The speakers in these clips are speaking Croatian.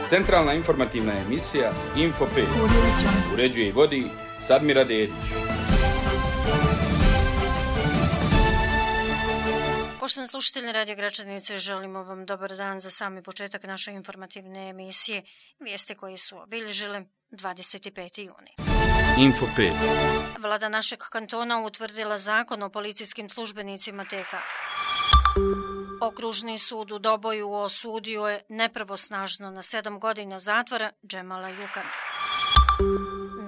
Centralna informativna emisija Info 5. Uređuje i vodi Sadmira Dedić. Poštovani slušatelji Radio Gračanice, želimo vam dobar dan za sami početak naše informativne emisije. Vijesti koje su obilježile 25. juni. Info 5. Vlada našeg kantona utvrdila zakon o policijskim službenicima TK. Okružni sud u Doboju osudio je nepravosnažno na 7 godina zatvora Džemala Jukana.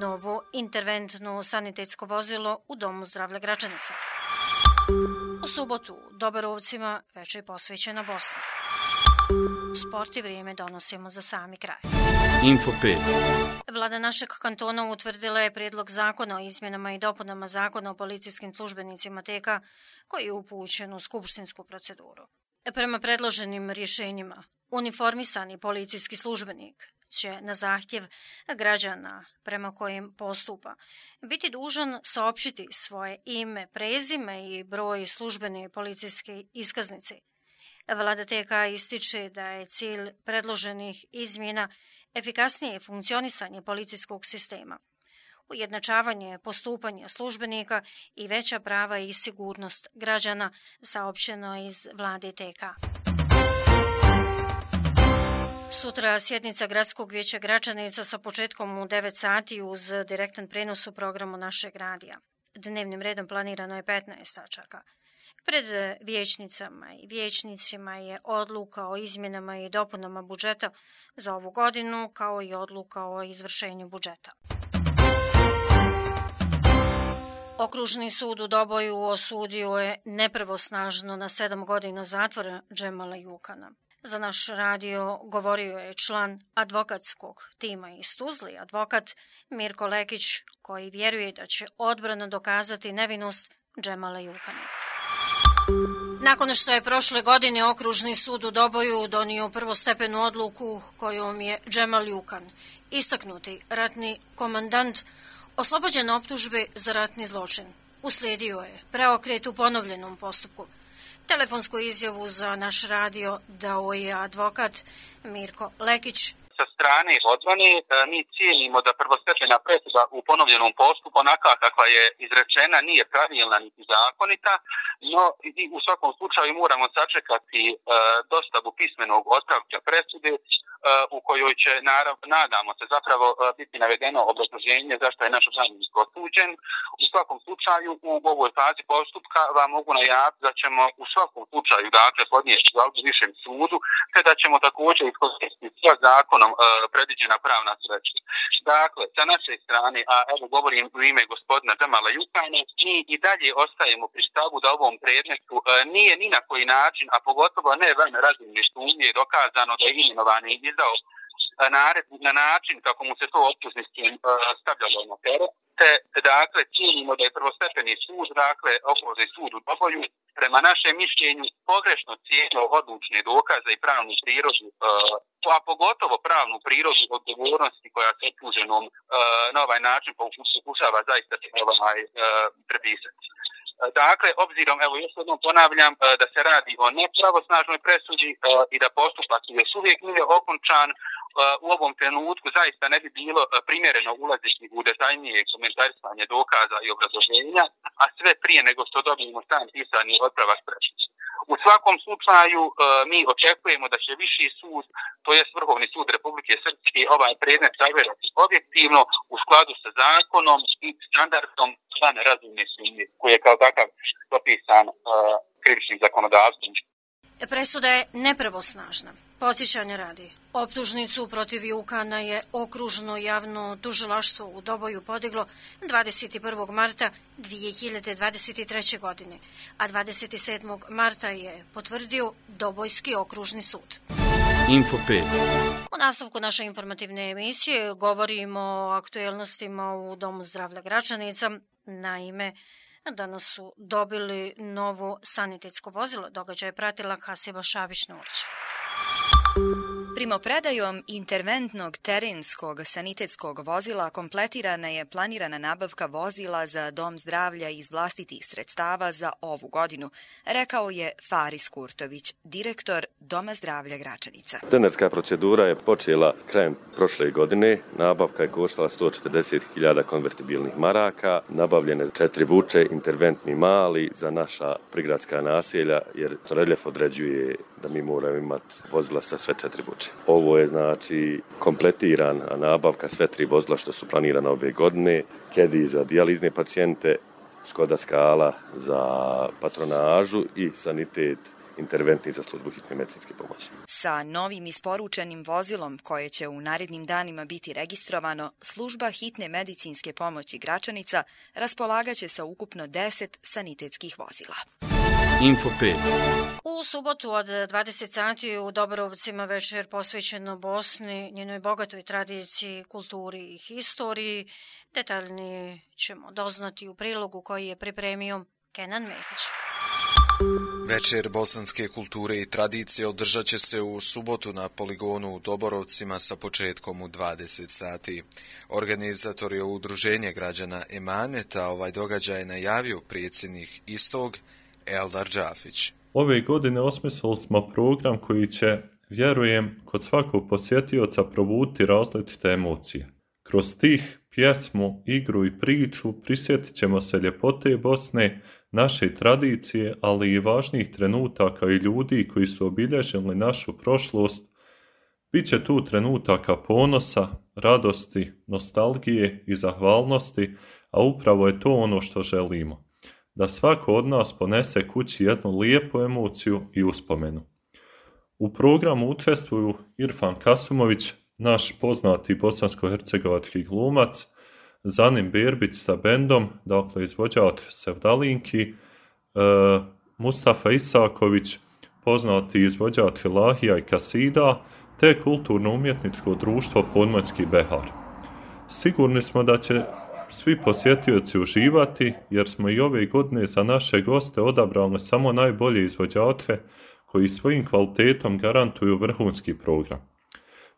Novo interventno sanitetsko vozilo u Domu zdravlja Gračanica. U subotu u Dobarovcima već je posvećena Bosna. Sport i vrijeme donosimo za sami kraj. Info 5. Vlada našeg kantona utvrdila je prijedlog zakona o izmjenama i dopunama zakona o policijskim službenicima TK koji je upućen u skupštinsku proceduru. Prema predloženim rješenjima, uniformisani policijski službenik će na zahtjev građana prema kojim postupa biti dužan saopćiti svoje ime, prezime i broj službene policijske iskaznice. Vlada TK ističe da je cilj predloženih izmjena efikasnije funkcionisanje policijskog sistema, ujednačavanje postupanja službenika i veća prava i sigurnost građana, saopćeno iz vlade TK. Sutra sjednica Gradskog vijeća Gračanica sa početkom u 9 sati uz direktan prenos u programu našeg radija. Dnevnim redom planirano je 15 tačaka. Pred vijećnicama i vijećnicima je odluka o izmjenama i dopunama budžeta za ovu godinu, kao i odluka o izvršenju budžeta. Okružni sud u Doboju osudio je nepravosnažno na 7 godina zatvora Džemala Jukana. Za naš radio govorio je član advokatskog tima iz Tuzli, advokat Mirko Lekić, koji vjeruje da će odbrana dokazati nevinost Džemala Jukana. Nakon što je prošle godine Okružni sud u Doboju donio prvostepenu odluku kojom je Džemal Jukan, istaknuti ratni komandant, oslobođen optužbe za ratni zločin, uslijedio je preokret u ponovljenom postupku. Telefonsku izjavu za naš radio dao je advokat Mirko Lekić. Sa strane odbrane mi cijenimo da prvostepena presuda u ponovljenom postupku onaka kakva je izrečena nije pravilna niti zakonita, no i u svakom slučaju moramo sačekati dostavu pismenog otpravka presude u kojoj će, nadamo se, zapravo biti navedeno obrazloženje zašto je naš zamjenik osuđen. U svakom slučaju u ovoj fazi postupka vam mogu najaviti da ćemo u svakom slučaju podnijeti žalbu višem sudu, te da ćemo također iskoristiti sva zakonom predviđena pravna sredstva. Dakle, sa naše strane, a evo govorim u ime gospodina Džemala Jukana, mi i dalje ostajemo pri stavu da ovom predmetu nije ni na koji način, a pogotovo ne van razumne sumnje dokazano da je imenovani izdao naredbu na način kako mu se to optužnicom stavljalo na teret. Dakle, cijenimo da je prvostepeni sud, Okružni sud u Doboju, prema našem mišljenju pogrešno cijenio odlučne dokaze i pravnu prirodu, a pogotovo pravnu prirodu odgovornosti koja se optuženom na ovaj način pokušava zaista prepisati. Dakle, obzirom, evo još jednom ponavljam, da se radi o nepravosnažnoj presudi i da postupak još uvijek nije okončan, u ovom trenutku zaista ne bi bilo primjereno ulaziti u detaljnije komentarisanje dokaza i obrazloženja, a sve prije nego što dobijemo sam pisani otpravak presude. U svakom slučaju mi očekujemo da će viši sud, to je Vrhovni sud Republike Srpske, ovaj predmet sagledati objektivno u skladu sa zakonom i standardom van razumne sumnje, koji je kao takav propisan krivičnim zakonodavstvom. Presuda je nepravosnažna. Podsjećanje radi. Optužnicu protiv Jukana je Okružno javno tužilaštvo u Doboju podiglo 21. marta 2023. godine, a 27. marta je potvrdio Dobojski okružni sud. Info 5. U nastavku naše informativne emisije govorimo o aktuelnostima u Domu zdravlja Gračanica. Naime, danas su dobili novo sanitetsko vozilo. Događaj je pratila Hasiba Šabić-Nurić. Primopredajom interventnog terenskog sanitetskog vozila kompletirana je planirana nabavka vozila za dom zdravlja iz vlastitih sredstava za ovu godinu, rekao je Faris Kurtović, direktor Doma zdravlja Gračanica. Tenerska procedura je počela krajem prošle godine. Nabavka je koštala 140.000 konvertibilnih maraka, nabavljene 4 vuče, interventni mali za naša prigradska naselja, jer reljef određuje da mi moramo imati vozila sa sve 4 vuče. Ovo je znači kompletirana nabavka sve 3 vozila što su planirane ove godine, Kedi za dijalizne pacijente, Škoda Skala za patronažu i sanitet interventni za službu hitne medicinske pomoći. Sa novim isporučenim vozilom koje će u narednim danima biti registrovano, služba hitne medicinske pomoći Gračanica raspolagaće sa ukupno 10 sanitetskih vozila. Info 5. U subotu od 20 sati u Doborovcima večer posvećeno Bosni, njenoj bogatoj tradiciji, kulturi i historiji. Detaljnije ćemo doznati u prilogu koji je pripremio Kenan Mehić. Večer bosanske kulture i tradicije održat će se u subotu na poligonu u Doborovcima sa početkom u 20 sati. Organizator je Udruženje građana Emaneta, ovaj događaj je najavio predsjednik istog Eldar Džafić. Ove godine osmislili smo program koji će, vjerujem, kod svakog posjetioca probuditi različite emocije. Kroz stih, pjesmu, igru i priču prisjetit ćemo se ljepote Bosne, naše tradicije, ali i važnih trenutaka i ljudi koji su obilježili našu prošlost. Biće tu trenutaka ponosa, radosti, nostalgije i zahvalnosti, a upravo je to ono što želimo. Da svako od nas ponese kući jednu lijepu emociju i uspomenu. U programu učestvuju Irfan Kasumović, naš poznati bosansko-hercegovački glumac, Zanim Berbić sa bendom, dakle izvođač Sevdalinki, Mustafa Isaković, poznati izvođač Ilahija i Kasida, te kulturno-umjetničko društvo Podmorski Behar. Sigurni smo da će svi posjetioci uživati, jer smo i ove godine za naše goste odabrali samo najbolje izvođače koji svojim kvalitetom garantuju vrhunski program.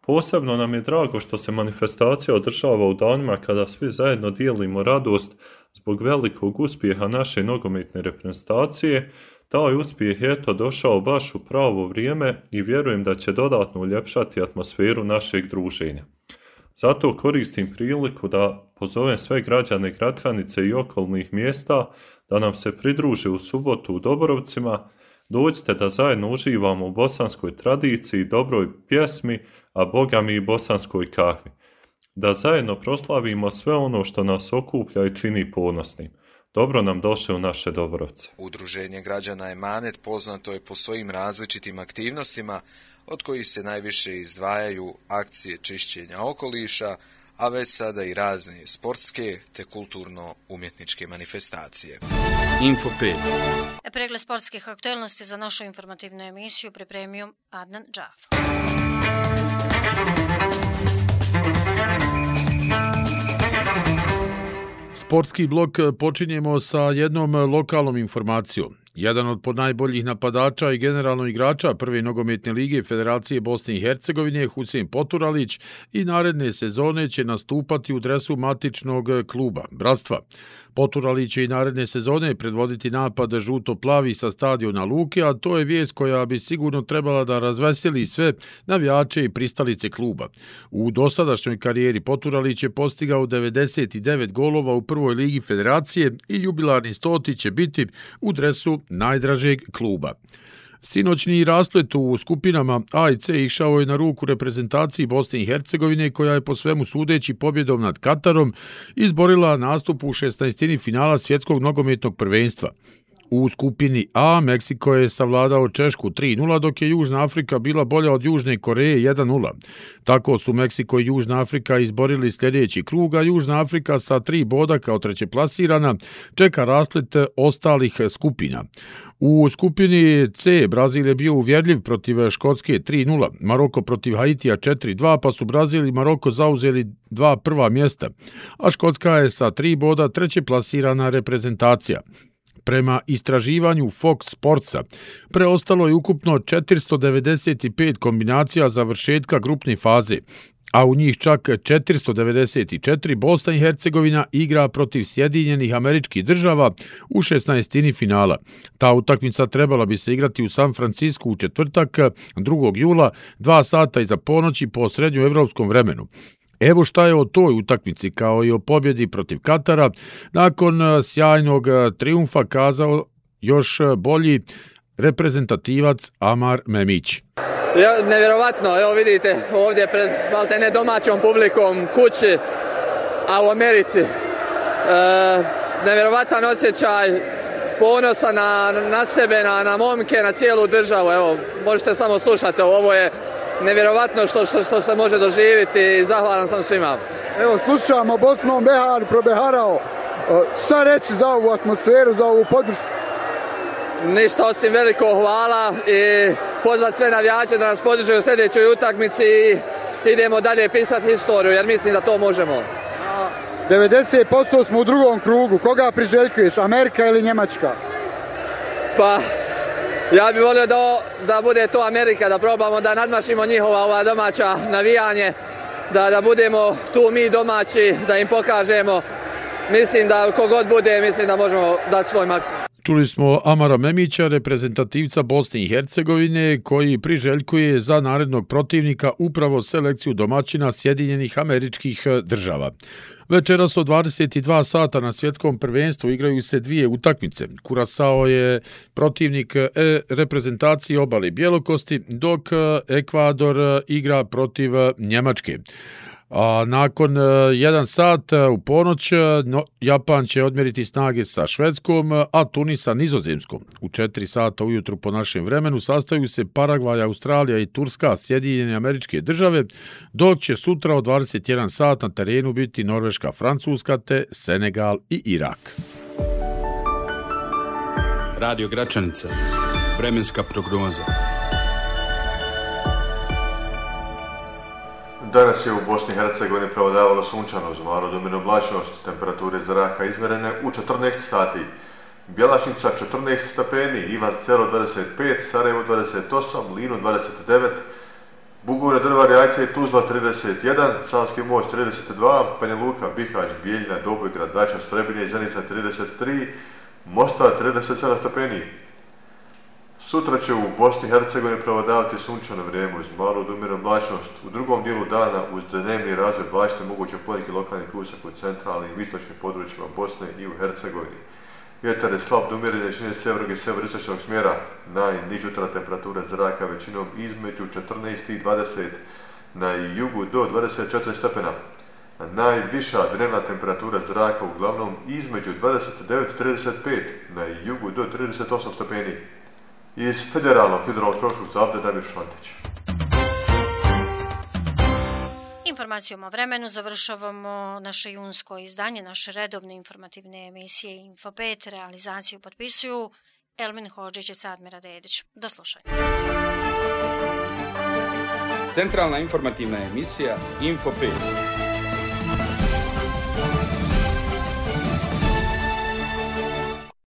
Posebno nam je drago što se manifestacija održava u danima kada svi zajedno dijelimo radost zbog velikog uspjeha naše nogometne reprezentacije. Taj uspjeh je došao baš u pravo vrijeme i vjerujem da će dodatno uljepšati atmosferu našeg druženja. Zato koristim priliku da pozovem sve građane Gračanice i okolnih mjesta da nam se pridruže u subotu u Doborovcima. Dođite da zajedno uživamo u bosanskoj tradiciji, dobroj pjesmi, a bogami i bosanskoj kahvi. Da zajedno proslavimo sve ono što nas okuplja i čini ponosnim. Dobro nam došli u naše Doborovce. Udruženje građana Emanet poznato je po svojim različitim aktivnostima, od kojih se najviše izdvajaju akcije čišćenja okoliša, a već sada i razne sportske te kulturno-umjetničke manifestacije. Info 5. Pregled sportskih aktualnosti za našu informativnu emisiju pripremio Adnan Džaf. Sportski blok počinjemo sa jednom lokalnom informacijom. Jedan od ponajboljih napadača i generalno igrača prve nogometne lige Federacije Bosne i Hercegovine, Husein Poturalić, i naredne sezone će nastupati u dresu matičnog kluba Bratstva. Poturalić će i naredne sezone predvoditi napad žuto-plavi sa stadiona Luke, a to je vijest koja bi sigurno trebala da razveseli sve navijače i pristalice kluba. U dosadašnjoj karijeri Poturalić je postigao 99 golova u prvoj ligi Federacije i jubilarni 100. će biti u dresu najdražeg kluba. Sinoćni rasplet u skupinama A i C išao je na ruku reprezentaciji Bosne i Hercegovine, koja je po svemu sudeći pobjedom nad Katarom izborila nastup u 16. finala svjetskog nogometnog prvenstva. U skupini A Meksiko je savladao Češku 3-0, dok je Južna Afrika bila bolja od Južne Koreje 1-0. Tako su Meksiko i Južna Afrika izborili sljedeći krug, a Južna Afrika sa 3 boda kao treće plasirana čeka rasplet ostalih skupina. U skupini C Brazil je bio uvjerljiv protiv Škotske 3-0, Maroko protiv Haitija 4-2, pa su Brazil i Maroko zauzeli 2 prva mjesta, a Škotska je sa 3 boda treće plasirana reprezentacija. Prema istraživanju Fox Sportsa, preostalo je ukupno 495 kombinacija završetka grupne faze, a u njih čak 494 Bosna i Hercegovina igra protiv Sjedinjenih Američkih Država u 16. finala. Ta utakmica trebala bi se igrati u San Francisku u četvrtak 2. jula, 2 sata iza ponoći po srednjoevropskom vremenu. Evo šta je o toj utakmici kao i o pobjedi protiv Katara nakon sjajnog triumfa kazao još bolji reprezentativac Amar Memić. Nevjerovatno, evo vidite ovdje pred maltene domaćom publikom kući, a u Americi. Nevjerovatan osjećaj, ponosa na sebe, na momke, na cijelu državu. Evo, možete samo slušati, ovo je nevjerovatno što se može doživjeti i zahvalan sam svima. Evo, slušamo Bosnom Behar probeharao. Šta reći za ovu atmosferu, za ovu podršku? Ništa osim veliko hvala i pozvat sve navijače da nas podrže u sljedećoj utakmici i idemo dalje pisati historiju jer mislim da to možemo. 90% smo u drugom krugu. Koga priželjkuješ, Amerika ili Njemačka? Pa, ja bih volio da bude to Amerika, da probamo da nadmašimo njihova domaća navijanje, da budemo tu mi domaći, da im pokažemo. Mislim da kogod bude, mislim da možemo dati svoj maksimum. Čuli smo Amara Memića, reprezentativca Bosne i Hercegovine, koji priželjkuje za narednog protivnika upravo selekciju domaćina Sjedinjenih Američkih Država. Večeras od 22 sata na svjetskom prvenstvu igraju se 2 utakmice. Kurasao je protivnik reprezentacije Obale Bjelokosti, dok Ekvador igra protiv Njemačke. A nakon 1 sat u ponoć Japan će odmjeriti snage sa Švedskom, a Tunis sa Nizozemskom. U 4 sata ujutru po našem vremenu sastaju se Paragvaj, Australija i Turska, Sjedinjene Američke Države, dok će sutra od 21 sat na terenu biti Norveška, Francuska te Senegal i Irak. Radio Gračanica. Vremenska prognoza. Danas je u Bosni i Hercegovini prevladavalo sunčano uz malu domino oblačnost, temperature zraka izmjerene u 14 sati. Bjelašnica 14 stepeni, Ivac Selo 25, Sarajevo 28, Lino 29, Bugore, Drvar, Jajce i Tuzla 31, Sanski most 32, Banja Luka, Bihać, Bijeljina, Dobojgrad, Dača, Strebinje i Zenica 33, Mostar 37 stepeni. Sutra će u Bosni i Hercegovini prevladavati sunčano vrijeme uz malu odumjerenu oblačnost. U drugom dijelu dana uz dnevni razvoj oblačnosti moguće poneki lokalni pljusak u centralnim i istočnim područjima Bosne i u Hercegovini. Vjetar je slab do umjerene jačine sjevernog i sjeveristočnog smjera. Najniža jutarnja temperatura zraka većinom između 14 i 20, na jugu do 24 stepena. A najviša dnevna temperatura zraka uglavnom između 29 i 35, na jugu do 38 stepeni. Iz Federalnog hidrometeorološkog zavoda Damir Šantić. Informacijom o vremenu završavamo naše junsko izdanje, naše redovne informativne emisije Info 5. Realizaciju potpisuju Elmin Hodžić i Sadmira Dedić. Do slušanja. Centralna informativna emisija Info 5.